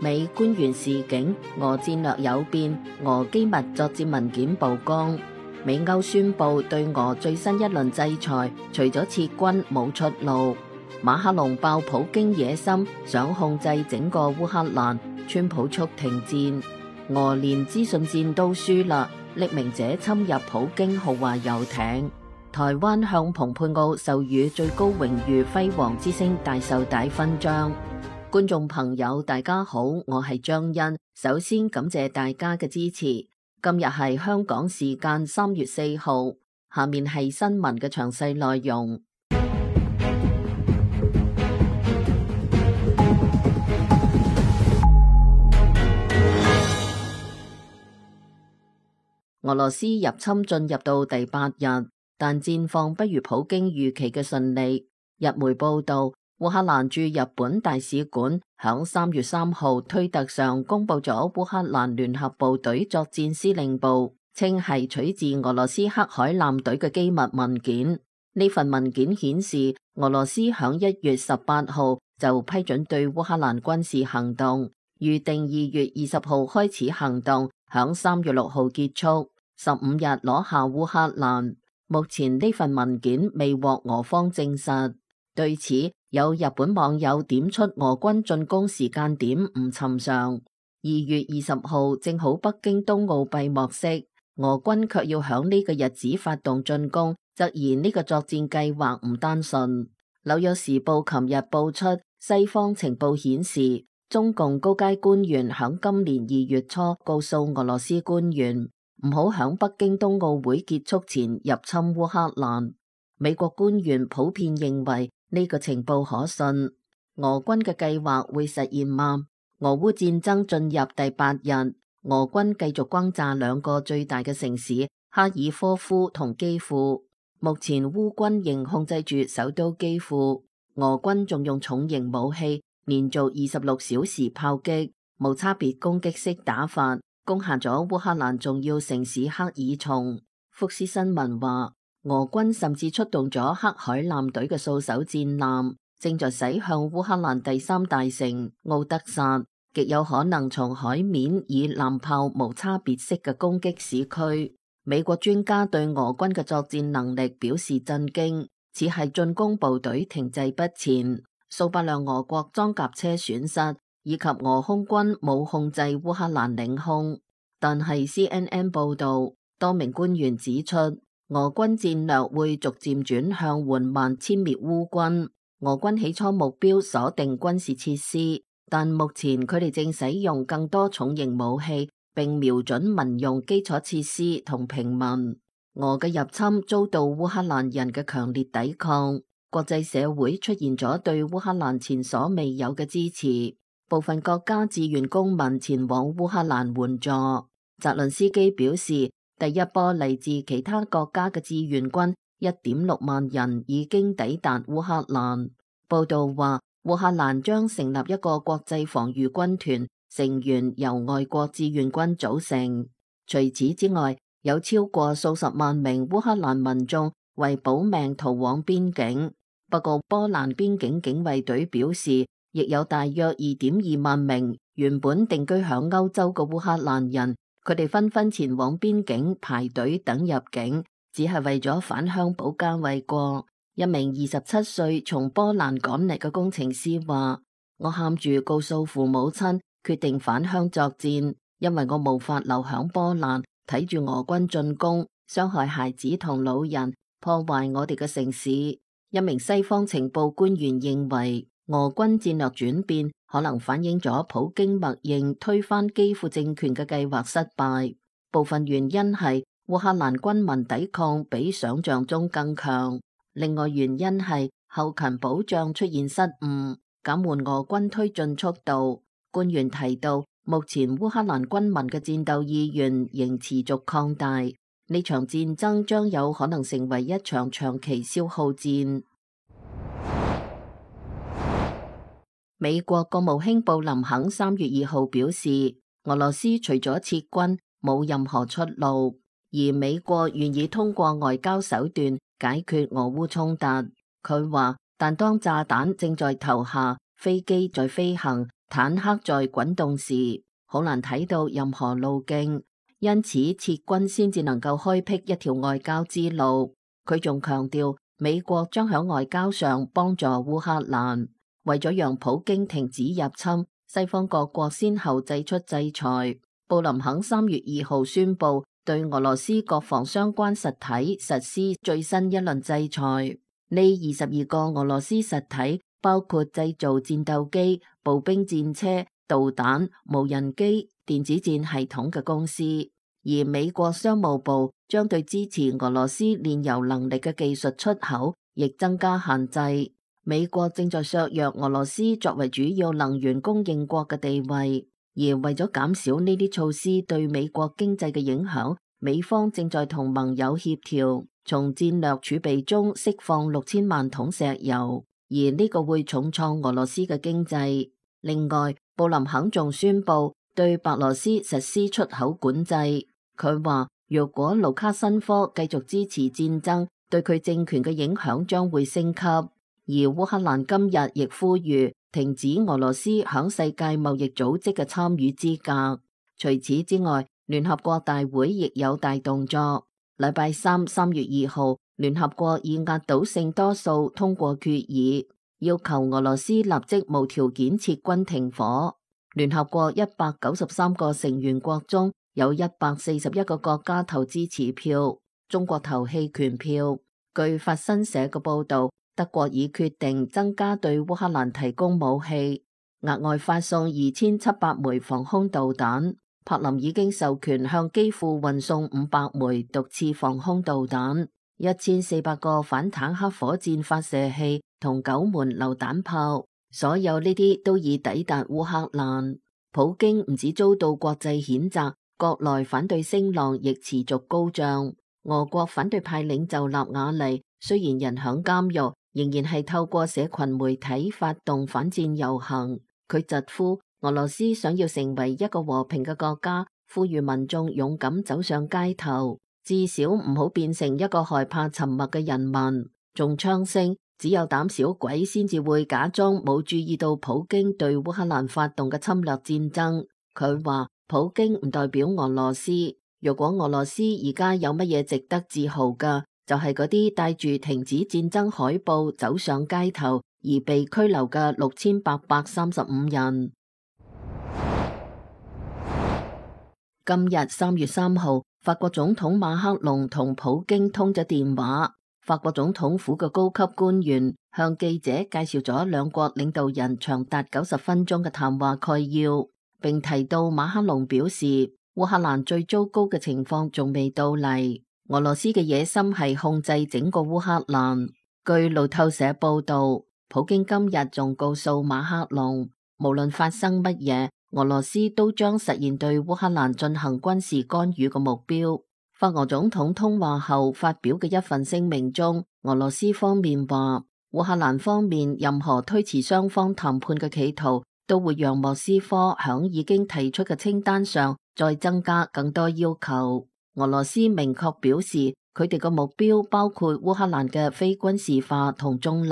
美官員示警，俄戰略有變，俄機密作戰文件曝光。美歐宣布對俄最新一輪制裁，除咗撤軍冇出路。馬克龍爆普京野心，想控制整個烏克蘭，川普促停戰。俄連資訊戰都輸啦，匿名者侵入普京豪華遊艇。台灣向蓬佩奧授予最高榮譽輝煌之星大綬帶勳章。觀眾朋友大家好，我係張欣，首先感謝大家嘅支持。今日係香港時間3月4號，下面係新聞嘅詳細內容。俄羅斯入侵進入到第8日，但戰況不如普京預期嘅順利。日媒報道，烏克蘭駐日本大使館響3月3號推特上公布咗烏克蘭聯合部隊作戰司令部，稱係取自俄羅斯黑海艦隊嘅機密文件。呢份文件顯示，俄羅斯響1月18號就批准對烏克蘭軍事行動，預定2月20號開始行動，響3月6號結束，15日攞下烏克蘭。目前呢份文件未獲俄方證實。對此，有日本網友點出俄軍進攻時間點唔尋常。2月20號正好北京冬奧閉幕式，俄軍卻要響呢個日子發動進攻，質疑呢個作戰計劃唔單純。紐約時報琴日報出，西方情報顯示，中共高階官員響今年2月初告訴俄羅斯官員，唔好響北京冬奧會結束前入侵烏克蘭。美國官員普遍認為呢個情報可信。俄軍嘅計劃會實現嗎？俄烏戰爭進入第8日，俄軍繼續轟炸兩個最大嘅城市哈爾科夫同基輔。目前烏軍仍控制住首都基輔，俄軍仲用重型武器連續26小時炮擊，無差別攻擊式打法，攻下咗烏克蘭重要城市克爾松。福斯新聞話，俄軍甚至出動咗黑海艦隊嘅數艘戰艦，正在駛向烏克蘭第3大城奧德薩，極有可能從海面以艦炮無差別式嘅攻擊市區。美國專家對俄軍嘅作戰能力表示震驚，只係進攻部隊停滯不前，數百輛俄國裝甲車損失，以及俄空軍冇控制烏克蘭領空。但係 CNN 報道，多名官員指出，俄軍戰略會逐漸轉向緩慢殲滅烏軍。俄軍起初目標鎖定軍事設施，但目前佢哋正使用更多重型武器，並瞄準民用基礎設施同平民。俄嘅入侵遭到烏克蘭人嘅強烈抵抗，國際社會出現咗對烏克蘭前所未有嘅支持，部分國家志願公民前往烏克蘭援助。澤倫斯基表示，第一波嚟自其他國家嘅志願軍1.6萬人已經抵達烏克蘭。報道話，烏克蘭將成立一個國際防禦軍團，成員由外國志願軍組成。除此之外，有超過數十萬名烏克蘭民眾為保命逃往邊境。不過，波蘭邊境警衛隊表示，亦有大約2.2萬名原本定居響歐洲嘅烏克蘭人，佢哋紛紛前往邊境排隊等入境，只係為咗返鄉保家衛國。一名27歲從波蘭趕嚟嘅工程師話，我喊住告訴父母親，決定返鄉作戰，因為我無法留響波蘭睇住俄軍進攻，傷害孩子同老人，破壞我哋嘅城市。一名西方情報官員認為，俄軍戰略轉變可能反映咗普京默認推翻基輔政權嘅計劃失敗，部分原因係烏克蘭軍民抵抗比想象中更強，另外原因係後勤保障出現失誤，減緩俄軍推進速度。官員提到，目前烏克蘭軍民嘅戰鬥意願仍持續擴大，呢場戰爭將有可能成為一場長期消耗戰。美國國務卿布林肯3月2號表示，俄羅斯除咗撤軍冇任何出路，而美國願意通過外交手段解決俄烏衝突。佢話，但當炸彈正在投下，飛機在飛行，坦克在滾動時好難睇到任何路徑，因此撤軍先至能夠開闢一條外交之路。佢仲強調，美國將喺外交上幫助烏克蘭，為咗讓普京停止入侵，西方各國先後祭出制裁。布林肯3月2號宣布對俄羅斯國防相關實體實施最新一輪制裁。呢22個俄羅斯實體包括製造戰鬥機、步兵戰車、導彈、無人機、電子戰系統嘅公司。而美國商務部將對支持俄羅斯煉油能力嘅技術出口亦增加限制。美國正在削弱俄羅斯作為主要能源供應國嘅地位，而為咗減少呢啲措施對美國經濟嘅影響，美方正在同盟友協調，從戰略儲備中釋放6000萬桶石油，而呢個會重創俄羅斯嘅經濟。另外，布林肯仲宣布對白羅斯實施出口管制。佢話，若果盧卡申科繼續支持戰爭，對佢政權嘅影響將會升級。而烏克蘭今日亦呼籲停止俄羅斯響世界貿易組織嘅參與資格。除此之外，聯合國大會亦有大動作。禮拜三3月2號，聯合國以壓倒性多數通過決議，要求俄羅斯立即無條件撤軍停火。聯合國193個成員國中有141個國家投支持票，中國投棄權票。據法新社嘅報道，德國已決定增加對烏克蘭提供武器，額外發送2700枚防空導彈。柏林已經授權向基輔運送500枚毒刺防空導彈、1400個反坦克火箭發射器同9門榴彈炮。所有呢啲都已抵達烏克蘭。普京唔止遭到國際譴責，國內反對聲浪亦持續高漲。俄國反對派領袖納瓦尼雖然人響監獄，仍然係透過社群媒體發動反戰遊行。佢疾呼俄羅斯想要成為一個和平嘅國家，呼籲民眾勇敢走上街頭，至少唔好變成一個害怕沉默嘅人民。仲槍聲，只有膽小鬼先至會假裝冇注意到普京對烏克蘭發動嘅侵略戰爭。佢話普京唔代表俄羅斯，如果俄羅斯而家有乜嘢值得自豪嘅，就係嗰啲帶住停止戰爭海報走上街頭而被拘留嘅6835人。今日3月3號，法國總統馬克龍同普京通咗電話。法國總統府嘅高級官員向記者介紹咗兩國領導人長達90分鐘嘅談話概要，並提到馬克龍表示，烏克蘭最糟糕嘅情況仲未到嚟，俄羅斯嘅野心係控制整個烏克蘭。據路透社報道，普京今日仲告訴馬克龍，無論發生乜嘢，俄羅斯都將實現對烏克蘭進行軍事干預嘅目標。法俄總統通話後發表嘅一份聲明中，俄羅斯方面話，烏克蘭方面任何推遲雙方談判嘅企圖，都會讓莫斯科響已經提出嘅清單上再增加更多要求。俄羅斯明確表示，佢哋嘅目標包括烏克蘭嘅非軍事化同中立。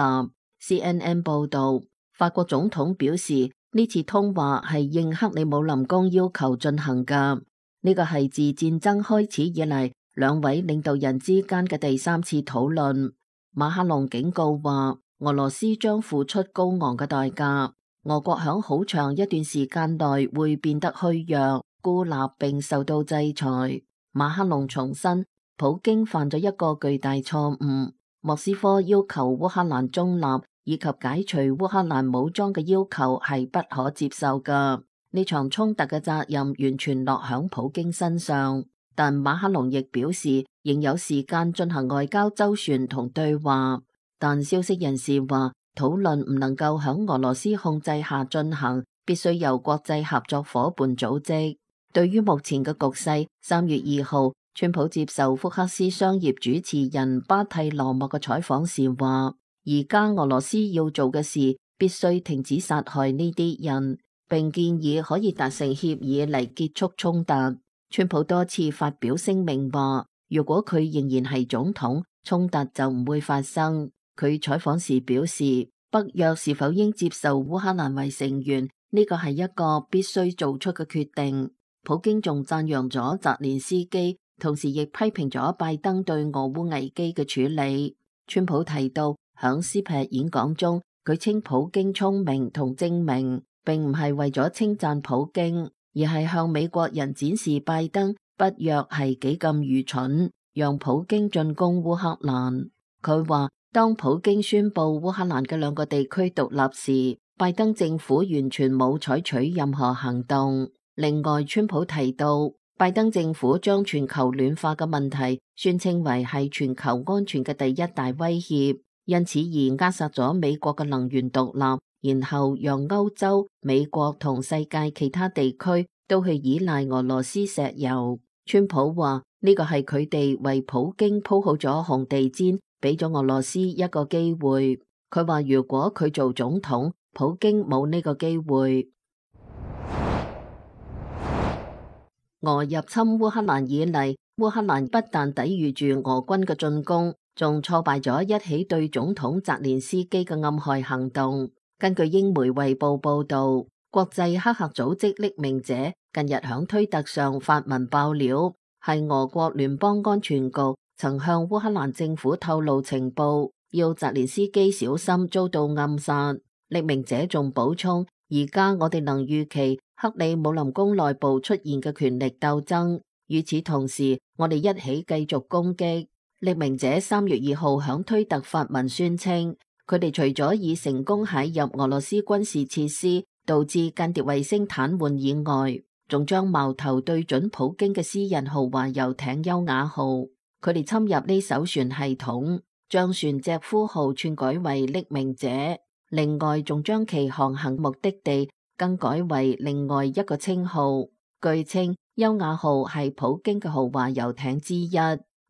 CNN 報道，法國總統表示，呢次通話係應克里姆林宮要求進行㗎。呢個係自戰爭開始以嚟兩位領導人之間嘅第3次討論。馬克龍警告話，俄羅斯將付出高昂嘅代價，俄國響好長一段時間內會變得虛弱、孤立並受到制裁。馬克龍重申，普京犯咗一個巨大錯誤，莫斯科要求烏克蘭中立以及解除烏克蘭武裝嘅要求係不可接受㗎。呢場衝突嘅責任完全落響普京身上，但馬克龍亦表示仍有時間進行外交周旋同對話。但消息人士話，討論唔能夠響俄羅斯控制下進行，必須由國際合作夥伴組織。對於目前嘅局勢，3月2號，川普接受福克斯商業主持人巴蒂羅莫嘅採訪時話，而家俄羅斯要做嘅事必須停止殺害呢啲人，並建議可以達成協議嚟結束衝突。川普多次發表聲明話，如果佢仍然係總統，衝突就唔會發生。佢採訪時表示，北約是否應接受烏克蘭為成員，呢個係一個必須做出嘅決定。普京仲讚揚咗澤連斯基，同時亦批評咗拜登對俄烏危機嘅處理。川普提到響斯皮演講中，佢稱普京聰明同精明，並唔係為咗稱讚普京，而係向美國人展示拜登北約係幾咁愚蠢，讓普京進攻烏克蘭。佢話當普京宣布烏克蘭嘅兩個地區獨立時，拜登政府完全冇採取任何行動。另外，川普提到拜登政府將全球暖化嘅問題宣稱為係全球安全嘅第一大威脅，因此而扼殺咗美國嘅能源獨立，然後讓歐洲、美國同世界其他地區都去依賴俄羅斯石油。川普話呢個係佢哋為普京鋪好咗紅地毯，俾咗俄羅斯一個機會。佢話如果佢做總統，普京冇呢個機會。俄入侵烏克蘭以嚟，烏克蘭不但抵禦住俄軍嘅進攻，仲挫敗咗一起對總統澤連斯基嘅暗害行動。根據英媒衛報報道，國際黑客組織匿名者近日響推特上發文爆料，係俄國聯邦安全局曾向烏克蘭政府透露情報，要澤連斯基小心遭到暗殺。匿名者仲補充，而家我哋能預期克里姆林宮內部出現嘅權力鬥爭，與此同時，我哋一起繼續攻擊。匿名者3月2號響推特發文宣稱，佢哋除咗已成功駭入俄羅斯軍事設施，導致間諜衛星癱瘓以外，仲將矛頭對準普京嘅私人豪華遊艇優雅號。佢哋侵入呢艘船系統，將船隻呼號篡改為匿名者，另外仲將其航行目的地更改為另外一個稱號。據稱，優雅號係普京嘅豪華遊艇之一，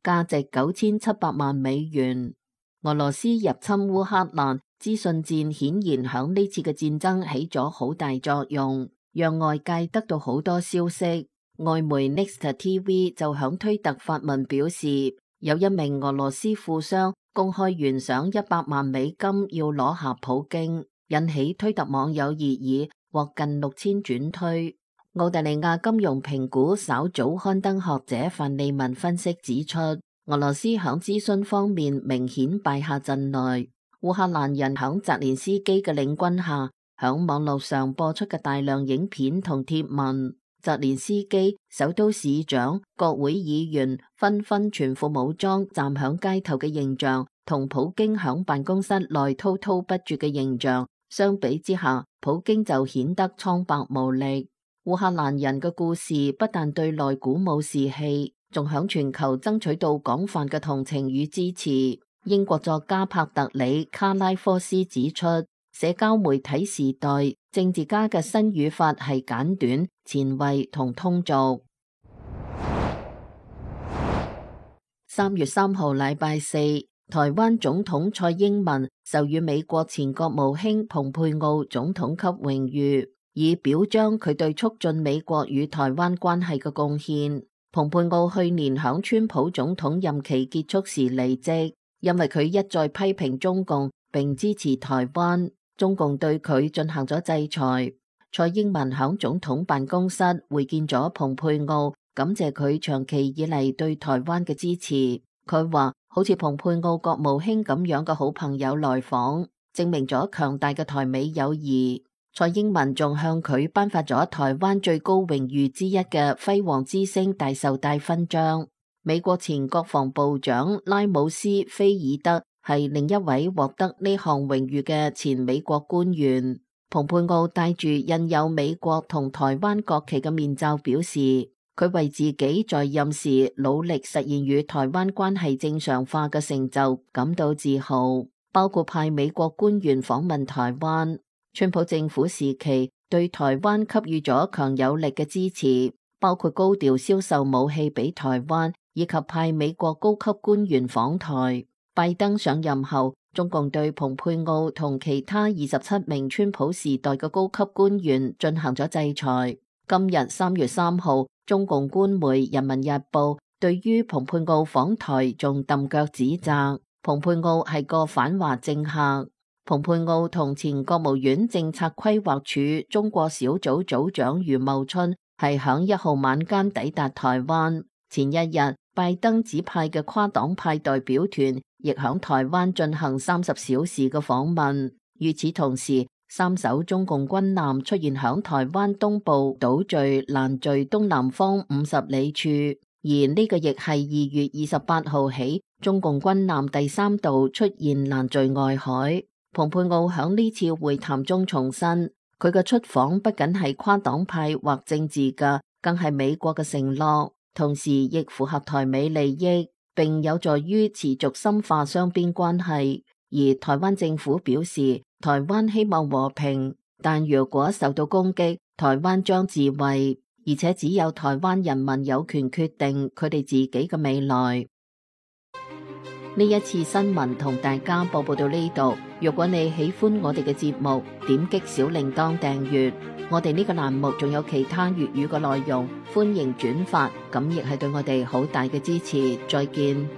價值9700萬美元。俄羅斯入侵烏克蘭，資訊戰顯然響呢次嘅戰爭起咗好大作用，讓外界得到好多消息。外媒 Next TV 就響推特發文表示，有一名俄羅斯富商公開懸賞100萬美金要攞下普京，引起推特網友熱議，獲近6000轉推。澳大利亞金融評估稍早刊登學者范利文分析指出，俄羅斯響諮詢方面明顯敗下陣來。烏克蘭人響澤連斯基嘅領軍下，響網絡上播出嘅大量影片同貼文，澤連斯基、首都市長、國會議員紛紛全副武裝站響街頭嘅形象，同普京響辦公室內滔滔不絕嘅形象相比之下，普京就顯得蒼白無力。烏克蘭人嘅故事不但對內鼓舞士氣，仲響全球爭取到廣泛嘅同情與支持。英國作家帕特里卡拉科斯指出，社交媒體時代政治家嘅新語法係簡短、前衛同通俗。3月3號禮拜四，台灣總統蔡英文授予美國前國務卿蓬佩奧總統級榮譽，以表彰佢對促進美國與台灣關係嘅貢獻。蓬佩奧去年響川普總統任期結束時離職，因為佢一再批評中共並支持台灣，中共對佢進行咗制裁。蔡英文響總統辦公室會見咗蓬佩奧，感謝佢長期以嚟對台灣嘅支持。佢話好似蓬佩奧國務卿咁樣嘅好朋友來訪，證明咗強大嘅台美友誼。蔡英文仲向佢頒發咗台灣最高榮譽之一嘅輝煌之星大綬帶勳章。美國前國防部長拉姆斯菲爾德係另一位獲得呢項榮譽嘅前美國官員。蓬佩奧戴住印有美國同台灣國旗嘅面罩表示，佢為自己在任時努力實現與台灣關係正常化嘅成就感到自豪，包括派美國官員訪問台灣。川普政府時期對台灣給予咗強有力嘅支持，包括高調銷售武器俾台灣，以及派美國高級官員訪台。拜登上任後，中共對蓬佩奧同其他27名川普時代嘅高級官員進行咗制裁。今日3月3號，中共官媒《人民日報》對於蓬佩奧訪台仲揼腳指責，蓬佩奧係個反華政客。蓬佩奧同前國務院政策規劃署中國小組組長余茂春係響1號晚間抵達台灣。前一日，拜登指派嘅跨黨派代表團亦響台灣進行30小時嘅訪問。與此同時，3艘中共軍艦出現響台灣東部島嶼蘭嶼東南方50里處，而呢個亦係2月28號起中共軍艦第3度出現蘭嶼外海。蓬佩奧響呢次會談中重申，佢嘅出訪不僅係跨黨派或政治嘅，更係美國嘅承諾，同時亦符合台美利益，並有助於持續深化雙邊關係。而台灣政府表示，台灣希望和平，但如果受到攻擊，台灣將自衛，而且只有台灣人民有權決定佢哋自己嘅未來。呢一次新聞同大家播報到呢度。如果你喜歡我哋嘅節目，點擊小鈴鐺訂閱。我哋呢個欄目仲有其他粵語嘅內容，歡迎轉發，咁亦係對我哋好大嘅支持。再見。